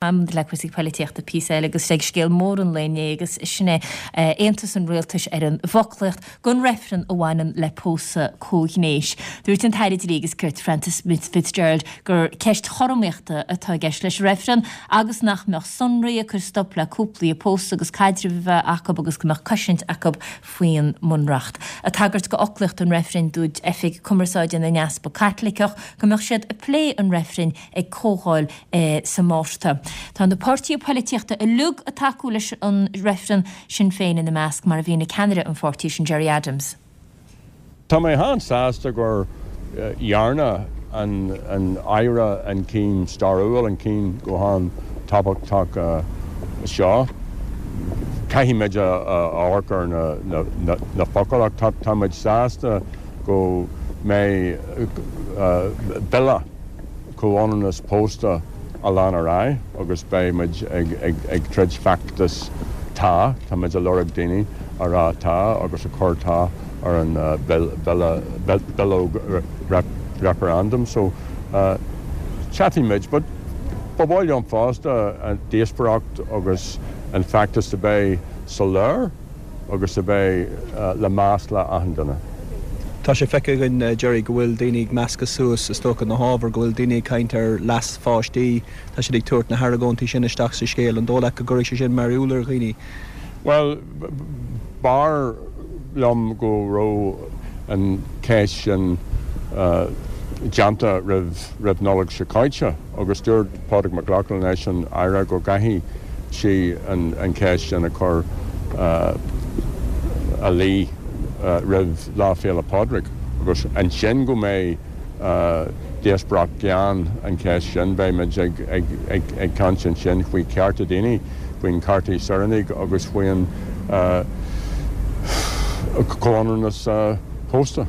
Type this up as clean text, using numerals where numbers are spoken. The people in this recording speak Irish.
Am le cúrsaí poilitíochta píosa eile agus ag scéal mór an lae inné agus sin é aontas an rialtais ar an bhfoclaíocht don reifreann a bhaineann le pósadh comhghnéis. Dúirt an tAire Dlí agus Cirt Frances Fitzgerald gur ceist chothromaíochta atá i gceist leis an reifreann agus nach mbeadh sonraí ag cur stop le cúplaí ag pósadh agus caidreamh a bheith acu agus go mbeadh cosaint acu faoin mBunreacht. Ag tagairt do fhoclaíocht an reifrinn dúirt Oifig Cumarsáide na nEaspag Caitliceach go mbeadh siad ag plé an reifrinn ag comhdháil sa Mhárta. Tá na páirtithe poilitíochta uilig ag tacú leis an reifreann, Sinn Féin ina measc, mar a mhínigh ceannaire an pháirtí sin, Gerry Adams. Tá mé an-sásta gur dhearna an Aire an céim stairiúil, an céim go han-tábhachtach seo. Caithfidh muid a amharc ar na focail ach tá muid sásta go mbeidh bille comhionannas pósta a lean ar aghaidh agus beidh muid ag troid feachtas 'Tá'. Tá muid a lorg daoine a rá 'Tá' agus a cur 'Tá' ar an bille, bileog referendum. So, seasfaidh muid. But ba mhaith liom fosta an díospóireacht agus an feachtas a bheith soiléir. agus a bheith le meas le achan duine. Tá sé feicthe againn, Gerry, go bhfuil daoine ag meascadh suas, is dócha, na hábhair, go bhfuil daoine ag caint ar leas pháistí, tá siad ag tabhairt na hargóintí sin isteach sa scéal. An dóigh leat go gcuirfidh sé sin mearbhall ar dhaoine? Bhuel, b'fhearr liom go raibh an cheist sin déanta roimh Nollaig seo caite. Agus dúirt Pádraig Mac Lochlainn leis an Aire go gcaithfidh sí an cheist sin a chur a luí roimh Lá Féile Pádraig agus ansin go mbeidh díospóireacht gean an cheist sin. Beidh muid ag caint ansin faoi chearta daoine, faoin cearta saoránaigh agus faoin comhionannas pósta.